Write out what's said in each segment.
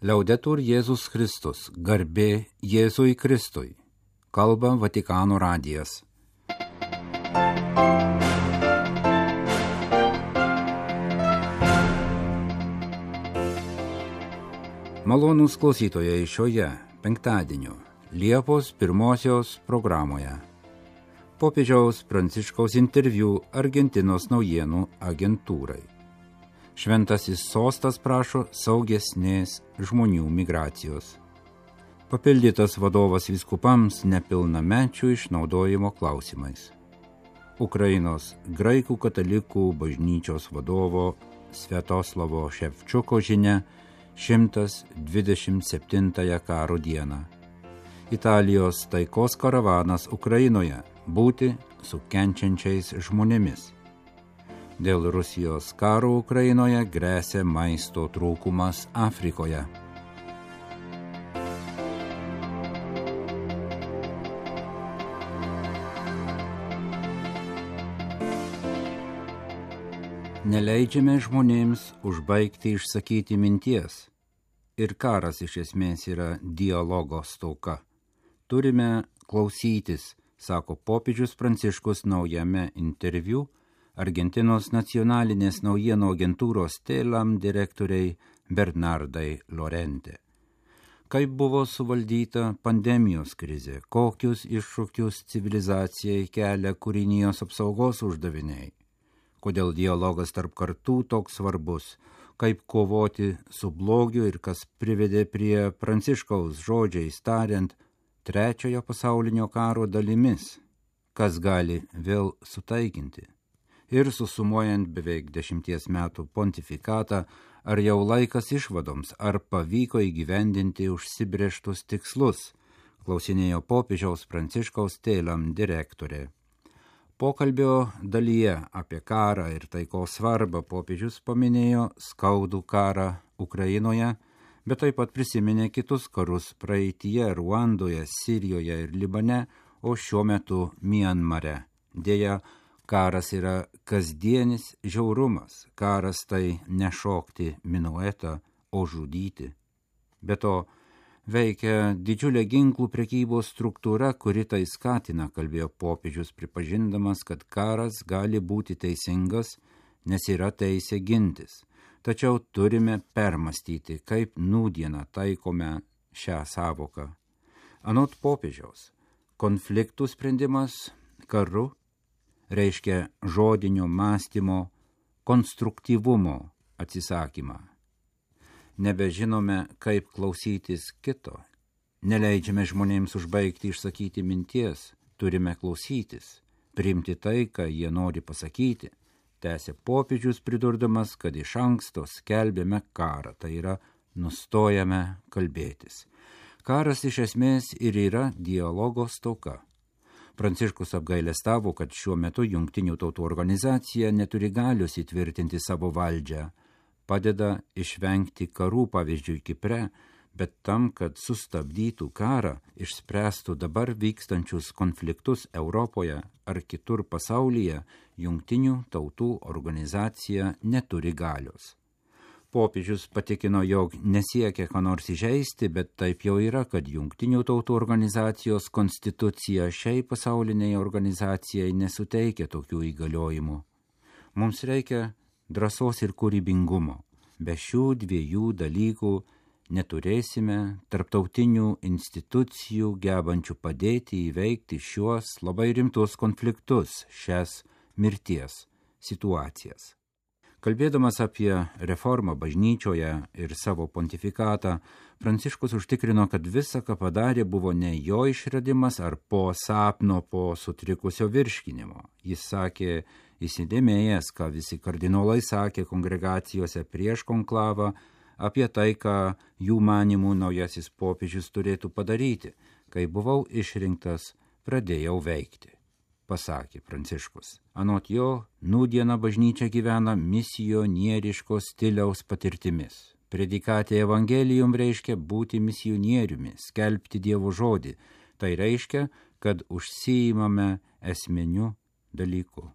Liaudetur Jėzus Kristus, garbė Jėzui Kristui, kalba Vatikano radijas. Malonūs klausytojai šioje penktadienio Liepos 1 programoje. Popiežiaus Pranciškaus interviu Argentinos naujienų agentūrai. Šventasis sostas prašo saugesnės žmonių migracijos. Papildytas vadovas vyskupams nepilnamečių išnaudojimo klausimais. Ukrainos graikų katalikų bažnyčios vadovo Sviatoslavo Ševčiuko žinia 127 karo dieną. Italijos taikos karavanas Ukrainoje būti su kenčiančiais žmonėmis. Dėl Rusijos karo Ukrainoje gresia maisto trūkumas Afrikoje. Neleidžiame žmonėms užbaigti išsakyti minties. Ir karas iš esmės yra dialogo stoka. Turime klausytis, sako popiežius Pranciškus naujame interviu Argentinos nacionalinės naujienų agentūros TELAM direktoriai Bernardai Lorente. Kaip buvo suvaldyta pandemijos krizė, kokius iššūkius civilizacijai kelia kūrinijos apsaugos uždaviniai, kodėl dialogas tarp kartų toks svarbus, kaip kovoti su blogiu ir kas privedė prie Pranciškaus žodžiais tariant trečiojo pasaulinio karo dalimis, kas gali vėl sutaikinti. Ir susumuojant beveik 10 metų pontifikatą, ar jau laikas išvadoms, ar pavyko įgyvendinti užsibrėžtus tikslus, klausinėjo popiežiaus Pranciškaus TELAM direktorė. Pokalbio dalyje apie karą ir taikos svarbą popiežius paminėjo skaudų karą Ukrainoje, bet taip pat prisiminė kitus karus praeityje Ruandoje, Sirijoje ir Libane, o šiuo metu Mianmare. Deja, karas yra kasdienis žiaurumas, karas tai nešokti minuetą, o žudyti. Be to, veikia didžiulė ginklų prekybos struktūra, kuri tai skatina, kalbėjo popiežius, pripažindamas, kad karas gali būti teisingas, nes yra teisė gintis. Tačiau turime permastyti, kaip nūdieną taikome šią savoką. Anot popiežiaus, konfliktų sprendimas karu reiškia žodinio mąstymo, konstruktyvumo atsisakymą. Nebežinome, kaip klausytis kito. Neleidžiame žmonėms užbaigti išsakyti minties. Turime klausytis, priimti tai, ką jie nori pasakyti. Tęsė popiežius pridurdamas, kad iš anksto skelbėme karą, tai yra nustojame kalbėtis. Karas iš esmės ir yra dialogo stoka. Pranciškus apgailestavo, kad šiuo metu Jungtinių tautų organizacija neturi galios įtvirtinti savo valdžią, padeda išvengti karų, pavyzdžiui, Kipre, bet tam, kad sustabdytų karą, išspręstų dabar vykstančius konfliktus Europoje ar kitur pasaulyje, Jungtinių tautų organizacija neturi galios. Popiežius patikino, jog nesiekia ką nors įžeisti, bet taip jau yra, kad Jungtinių tautų organizacijos konstitucija šiai pasauliniai organizacijai nesuteikia tokių įgaliojimų. Mums reikia drąsos ir kūrybingumo. Be šių dviejų dalykų neturėsime tarptautinių institucijų gebančių padėti įveikti šiuos labai rimtus konfliktus, šias mirties situacijas. Kalbėdamas apie reformą bažnyčioje ir savo pontifikatą, Pranciškus užtikrino, kad visa, ką padarė, buvo ne jo išradimas ar po sapno, po sutrikusio virškinimo. Jis sakė, įsidėmėjęs, ką visi kardinolai sakė kongregacijose prieš konklavą, apie tai, ką jų manimų naujasis popiežius turėtų padaryti. Kai buvau išrinktas, pradėjau veikti, pasakė Pranciškus. Anot jo, nūdiena bažnyčia gyvena misionieriško stiliaus patirtimis. Predikatė evangelijum reiškia būti misionieriumi, skelbti Dievo žodį. Tai reiškia, kad užsiimame esminiu dalyku.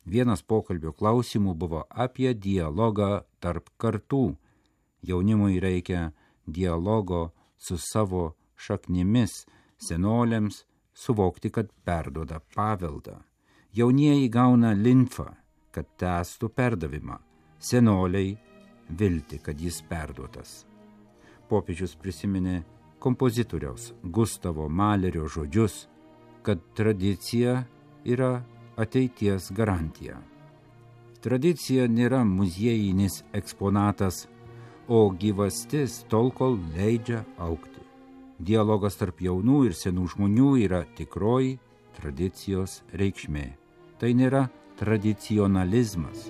Vienas pokalbio klausimų buvo apie dialogą tarp kartų. Jaunimui reikia dialogo su savo šaknimis, senoliams suvokti, kad perduoda paveldą. Jaunieji gauna limfą, kad tęstų perdavimą, senoliai viltį, kad jis perduotas. Popiežius prisiminė kompozitoriaus Gustavo Malerio žodžius, kad tradicija yra ateities garantija. Tradicija nėra muziejinis eksponatas, o gyvastis tol, kol leidžia augti. Dialogas tarp jaunų ir senų žmonių yra tikroji tradicijos reikšmė. Tai nėra tradicionalizmas.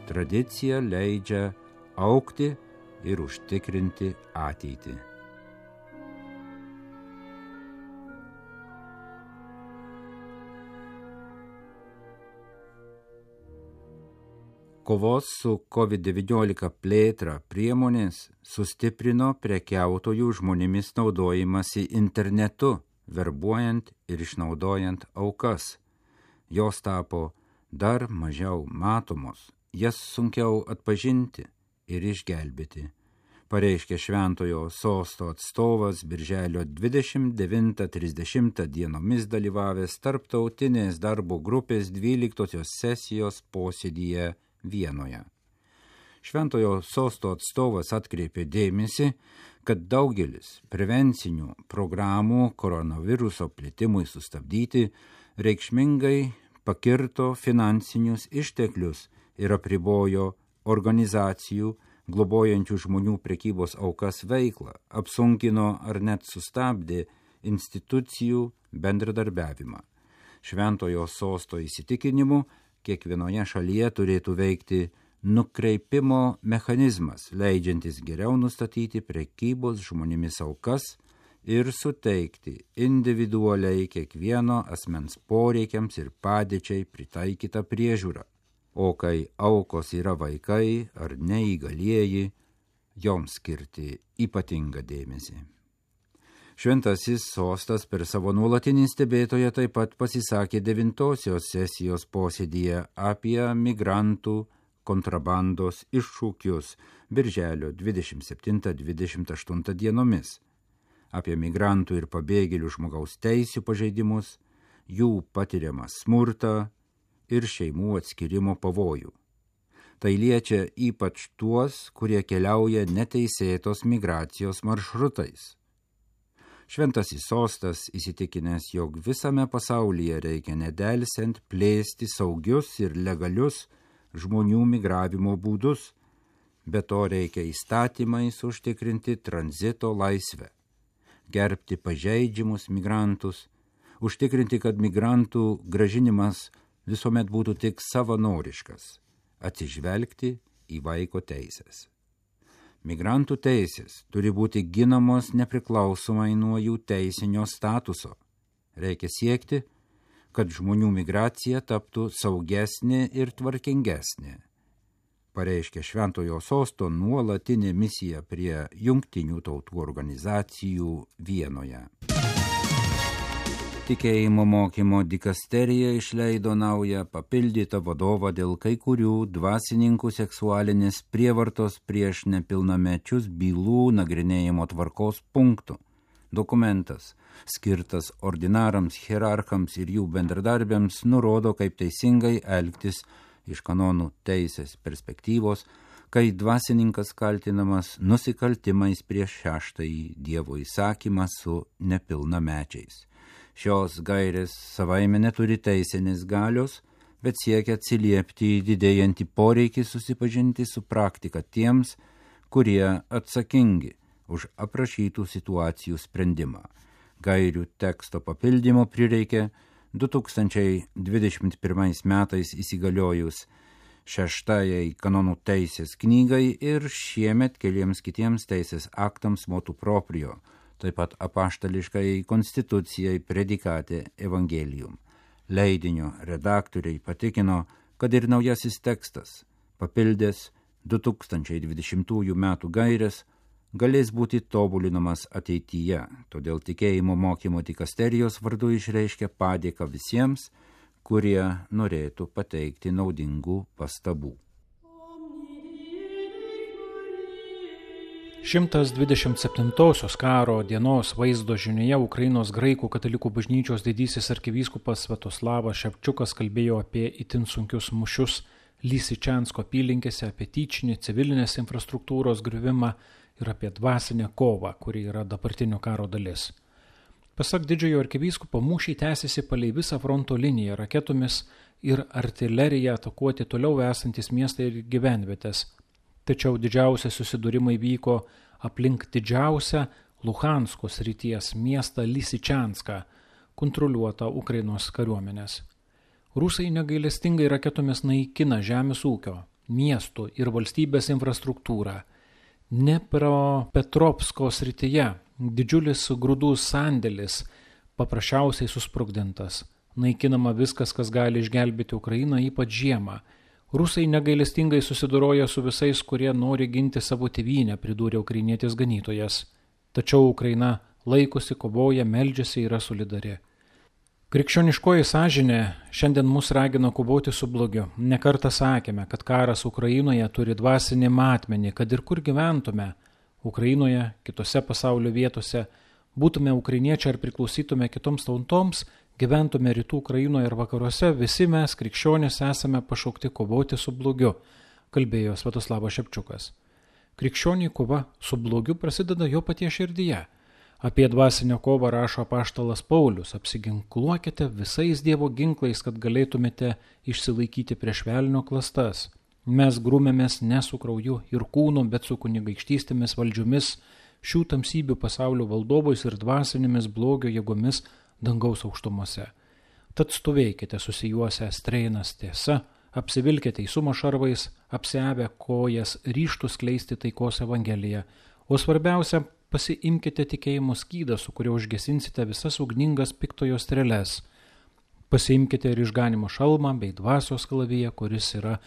Tradicija leidžia augti ir užtikrinti ateitį. Kovos su COVID-19 plėtra priemonės sustiprino prekiautojų žmonėmis naudojimąsi internetu, verbuojant ir išnaudojant aukas. Jos tapo dar mažiau matomos, jas sunkiau atpažinti ir išgelbėti, pareiškė Šventojo Sosto atstovas birželio 29-30 dienomis dalyvavęs tarptautinės darbo grupės 12 sesijos posėdyje Vienoje. Šventojo Sosto atstovas atkreipė dėmesį, kad daugelis prevencinių programų koronaviruso plitimui sustabdyti reikšmingai pakirto finansinius išteklius ir apribojo organizacijų globojančių žmonių prekybos aukas veiklą, apsunkino ar net sustabdė institucijų bendradarbiavimą. Šventojo Sosto įsitikinimu, kiekvienoje šalyje turėtų veikti nukreipimo mechanizmas, leidžiantis geriau nustatyti prekybos žmonėmis aukas ir suteikti individualiai kiekvieno asmens poreikiams ir padėčiai pritaikytą priežiūrą. O kai aukos yra vaikai ar neįgalieji, joms skirti ypatingą dėmesį. Šventasis Sostas per savo nuolatinį stebėtoją taip pat pasisakė 9 sesijos posėdyje apie migrantų kontrabandos iššūkius birželio 27-28 dienomis, apie migrantų ir pabėgėlių žmogaus teisių pažeidimus, jų patiriamą smurtą ir šeimų atskirimo pavojų. Tai liečia ypač tuos, kurie keliauja neteisėtos migracijos maršrutais. Šventasis Sostas įsitikinęs, jog visame pasaulyje reikia nedelsiant plėsti saugius ir legalius žmonių migravimo būdus, be to reikia įstatymais užtikrinti tranzito laisvę, gerbti pažeidžiamus migrantus, užtikrinti, kad migrantų grąžinimas visuomet būtų tik savanoriškas, atsižvelgti į vaiko teisės. Migrantų teisės turi būti ginamos nepriklausomai nuo jų teisinio statuso. Reikia siekti, kad žmonių migracija taptų saugesnė ir tvarkingesnė, pareiškė Šventojo Sosto nuolatinė misija prie Jungtinių tautų organizacijų Vienoje. Tikėjimo mokymo dikasterija išleido naują papildytą vadovą dėl kai kurių dvasininkų seksualinės prievartos prieš nepilnamečius bylų nagrinėjimo tvarkos punktų. Dokumentas, skirtas ordinarams, hierarchams ir jų bendradarbiams, nurodo, kaip teisingai elgtis iš kanonų teisės perspektyvos, kai dvasininkas kaltinamas nusikaltimais prieš 6-ąjį Dievo įsakymą su nepilnamečiais. Šios gairės savaime neturi teisinės galios, bet siekia atsiliepti į didėjantį poreikį susipažinti su praktika tiems, kurie atsakingi už aprašytų situacijų sprendimą. Gairių teksto papildymo prireikė 2021 metais įsigaliojus 6-ąjai kanonų teisės knygai ir šiemet keliems kitiems teisės aktams motu proprio, taip pat apaštališkai konstitucijai predikate Evangelium. Leidinio redaktoriai patikino, kad ir naujasis tekstas, papildęs 2020 metų gaires, galės būti tobulinamas ateityje, todėl tikėjimo mokymo dikasterijos vardu išreiškia padėką visiems, kurie norėtų pateikti naudingų pastabų. 127-osios karo dienos vaizdo žinioje Ukrainos graikų katalikų bažnyčios didysis arkivyskupas Sviatoslavas Ševčiukas kalbėjo apie itin sunkius mūšius Lysyčiansko apylinkėse, apie tyčinį civilinės infrastruktūros griuvimą ir apie dvasinę kovą, kuri yra dabartinio karo dalis. Pasak didžiojo arkivyskupo, mūšiai tęsiasi palei visą fronto liniją, raketomis ir artilerija atakuoti toliau esantis miestai ir gyvenvietės. Tačiau didžiausi susidūrimai vyko aplink didžiausią Luhansko srities miestą Lysyčianską, kontroliuotą Ukrainos kariuomenės. Rusai negailestingai raketomis naikina žemės ūkio, miestų ir valstybės infrastruktūrą. Dnepropetrovsko srityje didžiulis grūdų sandėlis paprasčiausiai susprogdintas. Naikinama viskas, kas gali išgelbėti Ukrainą, ypač žiemą. Rusai negailestingai susidoroja su visais, kurie nori ginti savo tėvynę, pridūrė ukrainietis ganytojas. Tačiau Ukraina laikosi, kovoja, meldžiasi, yra solidari. Krikščioniškoji sąžinė šiandien mus ragina kovoti su blogiu. Nekartą sakėme, kad karas Ukrainoje turi dvasinį matmenį, kad ir kur gyventume, Ukrainoje, kitose pasaulio vietose, būtume ukrainiečiai ar priklausytume kitoms tautoms, gyventume rytų Ukrainoje ir vakaruose, visi mes, krikščionys, esame pašaukti kovoti su blogiu, kalbėjo Sviatoslavas Ševčiukas. Krikščionių kova su blogiu prasideda jo paties širdyje. Apie dvasinę kovą rašo apaštalas Paulius: apsiginkluokite visais Dievo ginklais, kad galėtumėte išsilaikyti prieš velnio klastas. Mes grūmėmės ne su krauju ir kūnu, bet su kunigaikštystėmis valdžiomis, šių tamsybių pasaulio valdovais ir dvasinėmis blogio jėgomis dangaus aukštumose. Tad stovėkite susijuosę streinas tiesa, apsivilkite teisumo šarvais, apsiavę kojas, ryžtus skleisti taikos evangeliją, o svarbiausia, pasiimkite tikėjimo skydą, su kuriuo užgesinsite visas ugningas piktojo streles. Pasiimkite ir išganimo šalmą bei dvasios kalaviją, kuris yra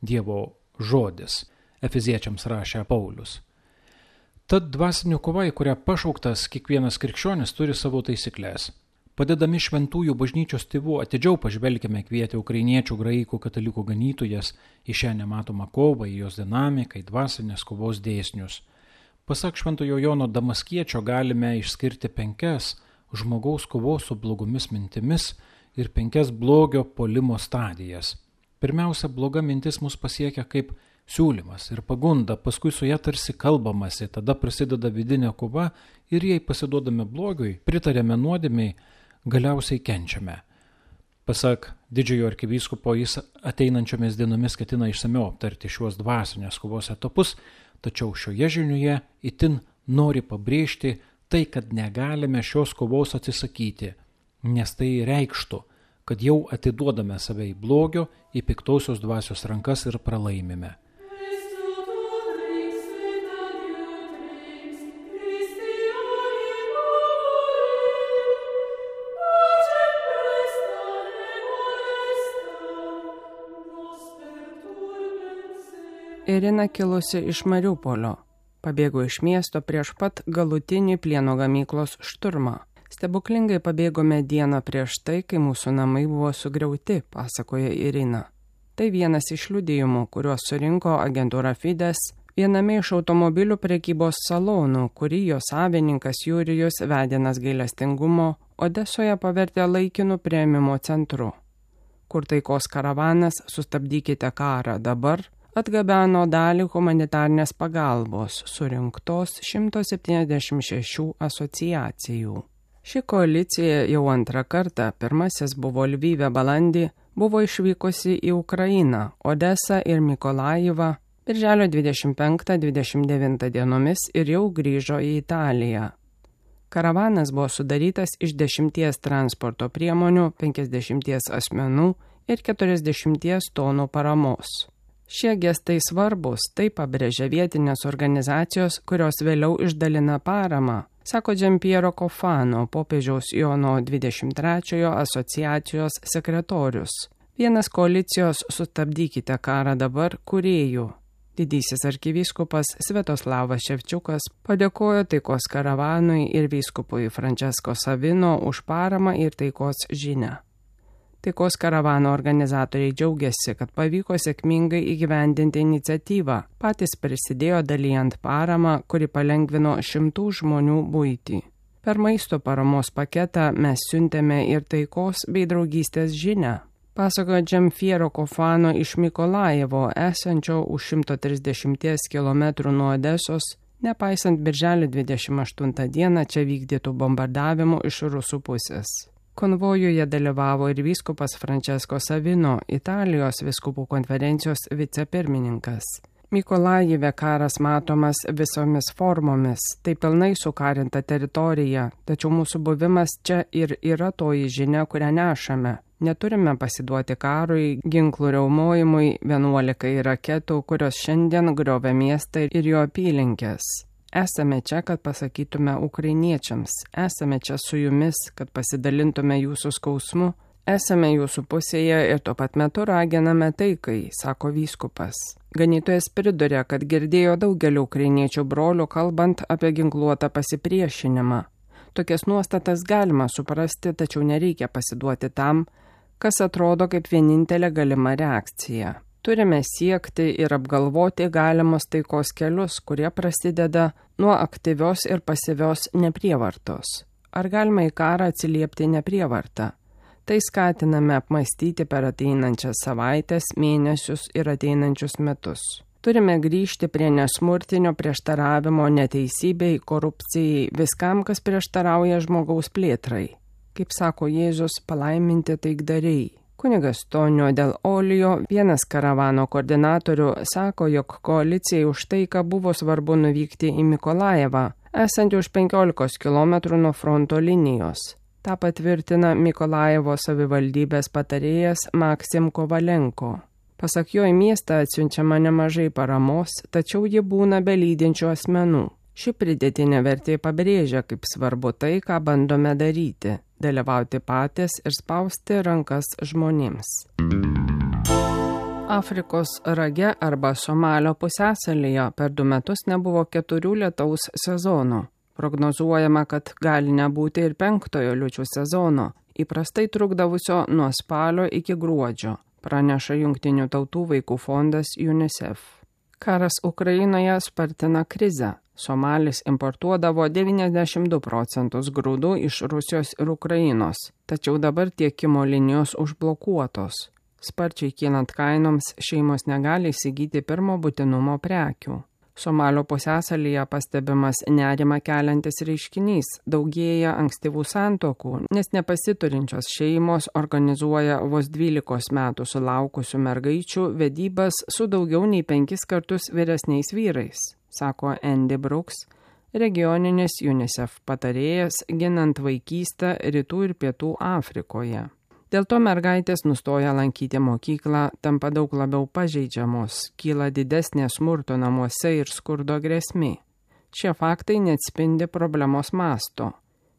Dievo žodis. Efeziečiams rašė Paulius. Tad dvasinė kova, į kurią pašauktas kiekvienas krikščionis, turi savo taisyklės. Padedami šventųjų bažnyčios tėvų, atidžiau pažvelkime, kvietė ukrainiečių graikų katalikų ganytojas į šią nematomą kovą, į jos dinamiką, į dvasinės kovos dėsnius. Pasak Šventojo Jono Damaskiečio galime išskirti 5 žmogaus kovos su blogomis mintimis ir 5 blogio puolimo stadijas. Pirmiausia, bloga mintis mus pasiekia kaip siūlymas ir pagunda, paskui su ja tarsi kalbamasi, tada prasideda vidinė kova ir jei pasiduodame blogiui, pritarėme nuodėmiai, galiausiai kenčiame. Pasak didžiojo arkivyskupo, jis ateinančiomis dienomis ketina išsamiau aptarti šiuos dvasinės kovos etapus, tačiau šioje žinioje itin nori pabrėžti tai, kad negalime šios kovos atsisakyti, nes tai reikštų, kad jau atiduodame save į blogio, į piktosios dvasios rankas ir pralaimime. Irina kilusi iš Mariupolio. Pabėgo iš miesto prieš pat galutinį plieno gamyklos šturmą. Stebuklingai pabėgome dieną prieš tai, kai mūsų namai buvo sugriauti, pasakoja Irina. Tai vienas iš liudijimų, kuriuos surinko agentūra Fides viename iš automobilių prekybos salonų, kurį jo savininkas Jurijus Vedinas gailestingumo Odesoje pavertė laikinu priėmimo centru, kur taikos karavanas Sustabdykite karą dabar atgabeno dalį humanitarnės pagalbos surinktos 176 asociacijų. Ši koalicija jau antrą kartą, pirmasis buvo Lvyve balandį, buvo išvykusi į Ukrainą, Odesą ir Mikolajivą birželio 25-29 dienomis ir jau grįžo į Italiją. Karavanas buvo sudarytas iš 10 transporto priemonių, 50 asmenų ir 40 tonų paramos. Šie gestai svarbus, tai pabrėžia vietinės organizacijos, kurios vėliau išdalina paramą, sako Giampiero Cofano, popiežiaus Jono 23 asociacijos sekretorius. Vienas koalicijos Sustabdykite karą dabar kūrėjų. Didysis arkivyskupas Sviatoslavas Ševčiukas padėkojo taikos karavanui ir vyskupui Francesco Savino už paramą ir taikos žinią. Taikos karavano organizatoriai džiaugiasi, kad pavyko sėkmingai įgyvendinti iniciatyvą. Patys prisidėjo dalijant paramą, kuri palengvino 100 žmonių buitį. Per maisto paramos paketą mes siuntėme ir taikos bei draugystės žinią. Pasakojo Džemfiero Kofano iš Mykolajevo, esančio už 130 km nuo Odesos, nepaisant birželio 28 dieną čia vykdytų bombardavimų iš rusų pusės. Konvojuje dalyvavo ir vyskupas Francesco Savino, Italijos vyskupų konferencijos vicepirmininkas. Mykolajive karas matomas visomis formomis, tai pilnai sukarinta teritorija, tačiau mūsų buvimas čia ir yra toji žinia, kurią nešame. Neturime pasiduoti karui, ginklų riaumojimui, 11 raketų, kurios šiandien griovia miestą ir jo apylinkės. Esame čia, kad pasakytume ukrainiečiams, esame čia su jumis, kad pasidalintume jūsų skausmu, esame jūsų pusėje ir tuo pat metu raginame taikai, sako vyskupas. Ganytojas priduria, kad girdėjo daugelio ukrainiečių brolių kalbant apie ginkluotą pasipriešinimą. Tokias nuostatas galima suprasti, tačiau nereikia pasiduoti tam, kas atrodo kaip vienintelė galima reakcija. Turime siekti ir apgalvoti galimus taikos kelius, kurie prasideda nuo aktyvios ir pasyvios neprievartos. Ar galima į karą atsiliepti neprievartą? Tai skatiname apmąstyti per ateinančias savaitės, mėnesius ir ateinančius metus. Turime grįžti prie nesmurtinio prieštaravimo neteisybei, korupcijai, viskam, kas prieštarauja žmogaus plėtrai. Kaip sako Jėzus, palaiminti taikdariai. Kunigas Tonio del Olio, vienas karavano koordinatorių, sako, jog koalicijai už taiką buvo svarbu nuvykti į Mykolajevą, esantį už 15 km nuo fronto linijos. Ta patvirtina Mykolajevo savivaldybės patarėjas Maksim Kovalenko. Pasak jo, į miestą atsiunčiama nemažai paramos, tačiau ji būna be lydinčių asmenų. Ši pridėtinė vertė pabrėžia, kaip svarbu tai, ką bandome daryti – dalyvauti patys ir spausti rankas žmonėms. Afrikos rage arba Somalio pusiasalyje per 2 metus nebuvo 4 lietaus sezonų. Prognozuojama, kad gali nebūti ir 5-ojo liūčių sezono, įprastai trukdavusio nuo spalio iki gruodžio, praneša Jungtinių tautų vaikų fondas UNICEF. Karas Ukrainoje spartina krizę. Somalis importuodavo 92% grūdų iš Rusijos ir Ukrainos, tačiau dabar tiekimo linijos užblokuotos. Sparčiai kylant kainoms, šeimos negali įsigyti pirmo būtinumo prekių. Somalio pusiasalyje pastebimas nerima keliantis reiškinys, daugėja ankstyvų santuokų, nes nepasiturinčios šeimos organizuoja vos 12 metų sulaukusių mergaičių vedybas su daugiau nei 5 kartus vyresniais vyrais, sako Andy Brooks, regioninis UNICEF patarėjas ginant vaikystę Rytų ir Pietų Afrikoje. Dėl to mergaitės nustoja lankyti mokyklą, tampa daug labiau pažeidžiamos, kyla didesnė smurto namuose ir skurdo grėsmė. Šie faktai neatspindi problemos masto.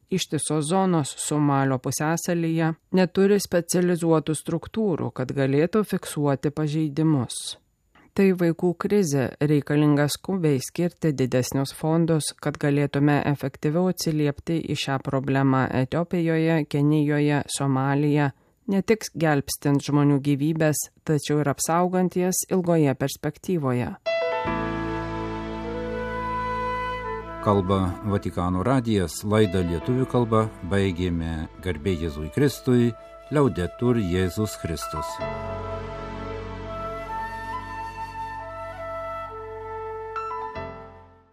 Ištisos zonos Somalio pusiasalyje neturi specializuotų struktūrų, kad galėtų fiksuoti pažeidimus. Tai vaikų krizė, reikalinga skubiai skirti didesnius fondus, kad galėtume efektyviau atsiliepti į šią problemą Etiopijoje, Kenijoje, Somalija, ne tik gelbstint žmonių gyvybės, tačiau ir apsaugant jas ilgoje perspektyvoje. Kalba Vatikano radijas, laidą lietuvių kalba baigėme. Garbė Jėzui Kristui, Liaudetur Jėzus Kristus.